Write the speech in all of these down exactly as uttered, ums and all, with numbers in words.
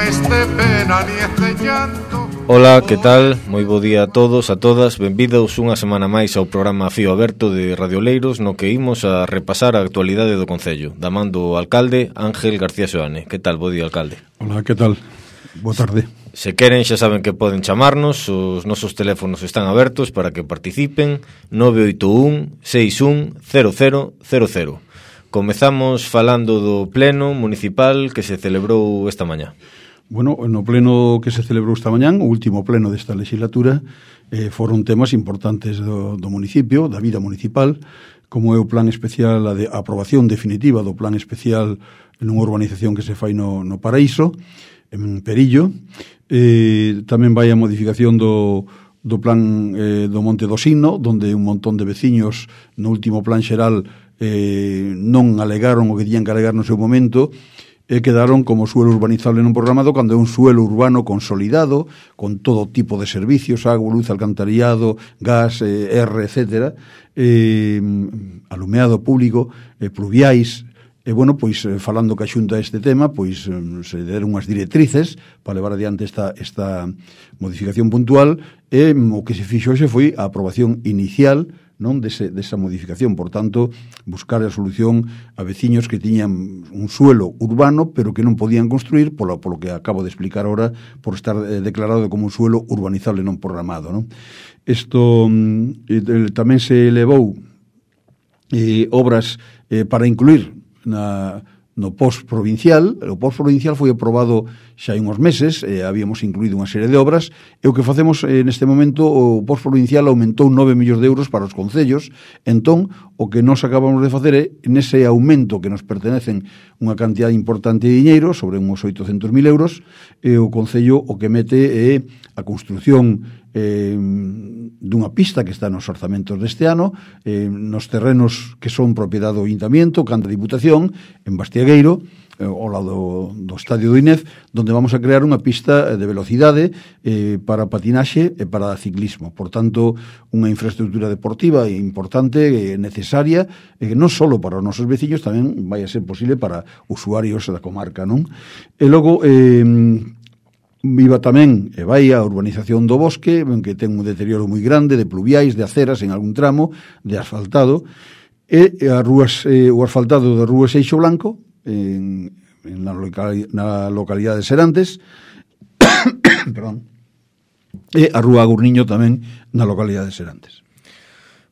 este pena ni este llanto. Ola, que tal? Moi bo día a todos, a todas. Benvidos unha semana máis ao programa Fío Aberto de Radio Oleiros, no que imos a repasar a actualidade do Concello, da man do alcalde Ángel García Seoane. Que tal? Bo día, alcalde. Ola, que tal? Boa tarde. Se queren, xa saben que poden chamarnos, os nosos teléfonos están abertos para que participen. Nove oito un, seis un, cero cero cero cero. Comezamos falando do pleno municipal que se celebrou esta mañá. Bueno, no pleno que se celebrou esta mañán, o último pleno desta legislatura, eh, foron temas importantes do, do municipio, da vida municipal, como é o plan especial, a, de, a aprobación definitiva do plan especial nunha urbanización que se fai no, no Paraíso, en Perillo. Eh, tamén vai a modificación do, do plan eh, do Monte do Signo, donde un montón de veciños no último plan xeral eh, non alegaron o que tiñan que alegar no seu momento, e quedaron como suelo urbanizable non programado, cando é un suelo urbano consolidado, con todo tipo de servicios, agua, luz, alcantarillado, gas, eh, R, etcétera, eh, alumeado público, eh, pluviais. E, bueno, pois, falando que a Xunta este tema, pois, se deron unhas directrices para levar adiante esta, esta modificación puntual, e o que se fixo xe foi a aprobación inicial, non, dese, desa modificación. Por tanto, buscar a solución a veciños que tiñan un suelo urbano, pero que non podían construir, polo, polo que acabo de explicar ahora, por estar eh, declarado como un suelo urbanizable non programado, non? Isto eh, tamén se elevou eh, obras eh, para incluir na, no post provincial. O post provincial foi aprobado xa hai uns meses, eh, habíamos incluído unha serie de obras, e o que facemos eh, neste momento, o post provincial aumentou nove millóns de euros para os concellos. Entón, o que nos acabamos de facer é, nese aumento que nos pertenecen unha cantidad importante de diñeiro, sobre uns oitocentos mil euros, e o concello o que mete é a construción eh, dunha pista que está nos orzamentos deste ano, eh, nos terrenos que son propiedade do Ayuntamiento, Canta Diputación, en Bastiagueiro, eh, ao lado do, do estadio do Inez, donde vamos a crear unha pista de velocidade eh, para patinaxe e para ciclismo. Por tanto, unha infraestructura deportiva importante, eh, necesaria, eh, non só para os nosos veciños, tamén vai a ser posible para usuarios da comarca, non? E logo, eh, viva tamén e vai a urbanización do Bosque, que ten un deterioro moi grande de pluviais, de aceras en algún tramo, de asfaltado, e as rúas, eh, o asfaltado de Rúa Seixo Blanco, en, en la, locali, na localidade de Serantes, perdón, e a Rúa Agurniño tamén na localidade de Serantes.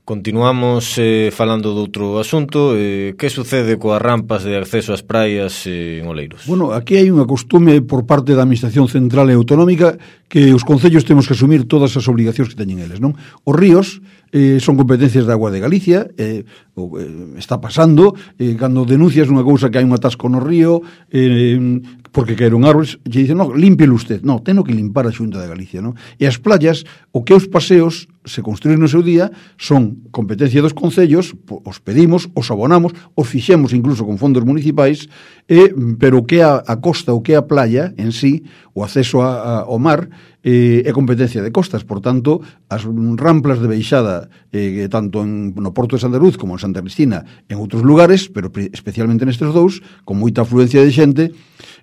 Continuamos eh, falando de outro asunto. Eh, que sucede coas rampas de acceso ás praias eh, en Oleiros? Bueno, aquí hai unha costume por parte da Administración Central e Autonómica que os concellos temos que asumir todas as obligacións que teñen eles, non? Os ríos eh, son competencias da Agua de Galicia, eh, o, eh, está pasando, eh, cando denuncias unha cousa que hai un atasco no río, eh, porque caeron árboles, lle dicen, no, límpielo usted. No, teno que limpar a Xunta de Galicia, non? E as playas, o que os paseos se construín no seu día, son competencia dos concellos, os pedimos, os abonamos, os fixemos incluso con fondos municipais, e, pero o que a, a costa, o que a playa en sí, o acceso a, a, ao mar, eh, é competencia de costas. Por tanto, as ramplas de baixada, eh, tanto en, no Porto de Santa Cruz como en Santa Cristina, en outros lugares, pero especialmente nestes dous, con moita afluencia de xente,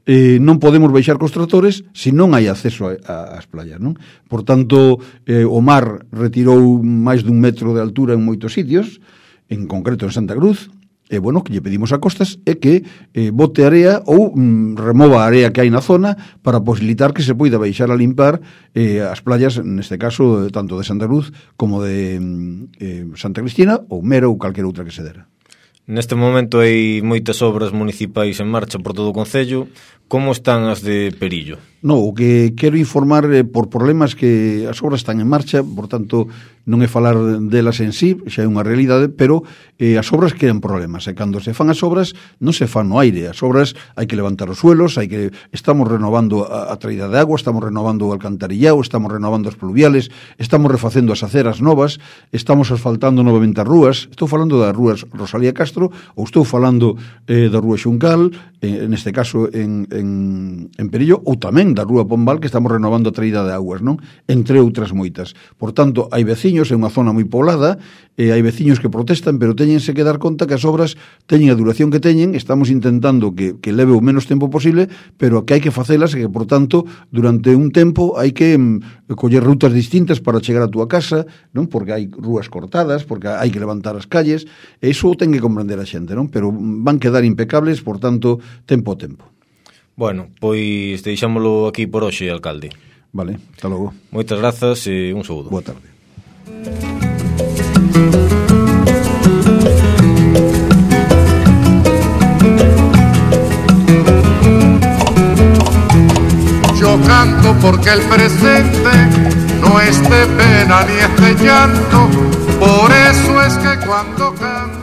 eh, non podemos baixar cos tractores se non hai acceso a, a, ás playas, non? Por tanto, eh, o mar retirou máis dun metro de altura en moitos sitios, en concreto en Santa Cruz, e, bueno, que lle pedimos a Costas é que eh, bote area ou mm, remova a area que hai na zona para posibilitar que se poida baixar a limpar eh, as playas, neste caso, tanto de Santa Cruz como de eh, Santa Cristina ou Mera ou calquera outra que se dera. Neste momento hai moitas obras municipais en marcha por todo o concello. Como están as de Perillo? No, o que quero informar eh, por problemas que as obras están en marcha, por tanto, non é falar delas en sí, xa é unha realidade, pero eh, as obras quedan problemas, e cando se fan as obras, non se fan no aire, as obras hai que levantar os suelos, hai que estamos renovando a, a traída de agua, estamos renovando o alcantarillado, estamos renovando as pluviales, estamos refacendo as aceras novas, estamos asfaltando novamente as rúas. Estou falando das rúas Rosalía Castro, Castro, ou estou falando eh, da Rúa Xuncal, eh, neste caso en, en, en Perillo, ou tamén da Rúa Pombal, que estamos renovando a traída de aguas, non? Entre outras moitas. Por tanto, hai veciños, é unha zona moi poblada, e hai veciños que protestan, pero teñense que dar conta que as obras teñen a duración que teñen, estamos intentando que, que leve o menos tempo posible, pero que hai que facelas e que, por tanto, durante un tempo hai que mm, coller rutas distintas para chegar a túa casa, non? Porque hai rúas cortadas, porque hai que levantar as calles, e iso ten que comprender a xente, non? Pero van quedar impecables, por tanto, tempo a tempo. Bueno, pois deixámolo aquí por hoxe, alcalde. Vale, hasta logo. Moitas grazas e un saúdo. Boa tarde. Yo canto porque el presente no es de pena ni es de llanto, por eso es que cuando canto